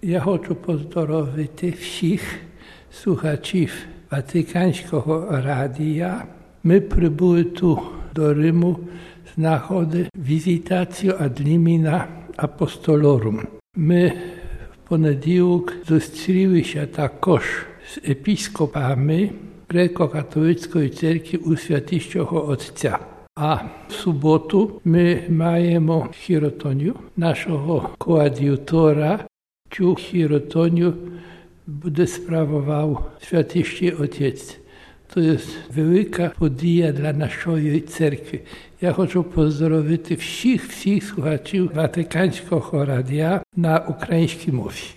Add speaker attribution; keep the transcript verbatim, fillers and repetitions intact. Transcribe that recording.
Speaker 1: Я хочу поздоровити всіх слухачів Ватиканського радіо. Ми прибули тут до Риму знаходити візитацію ad limina apostolorum. Ми в понеділок зустрілися також з епіскопами Греко-католицької церкви у Святішого Отця. А в суботу ми маємо хіротонію нашого коад'ютора. Цю хіротонію буде справував Святіший Отець. To jest wielka podija dla naszej cerkwi. Ja chcę pozdrowić wszystkich, wszystkich słuchaczy Watykańskiego Radia na ukraińskiej mowie.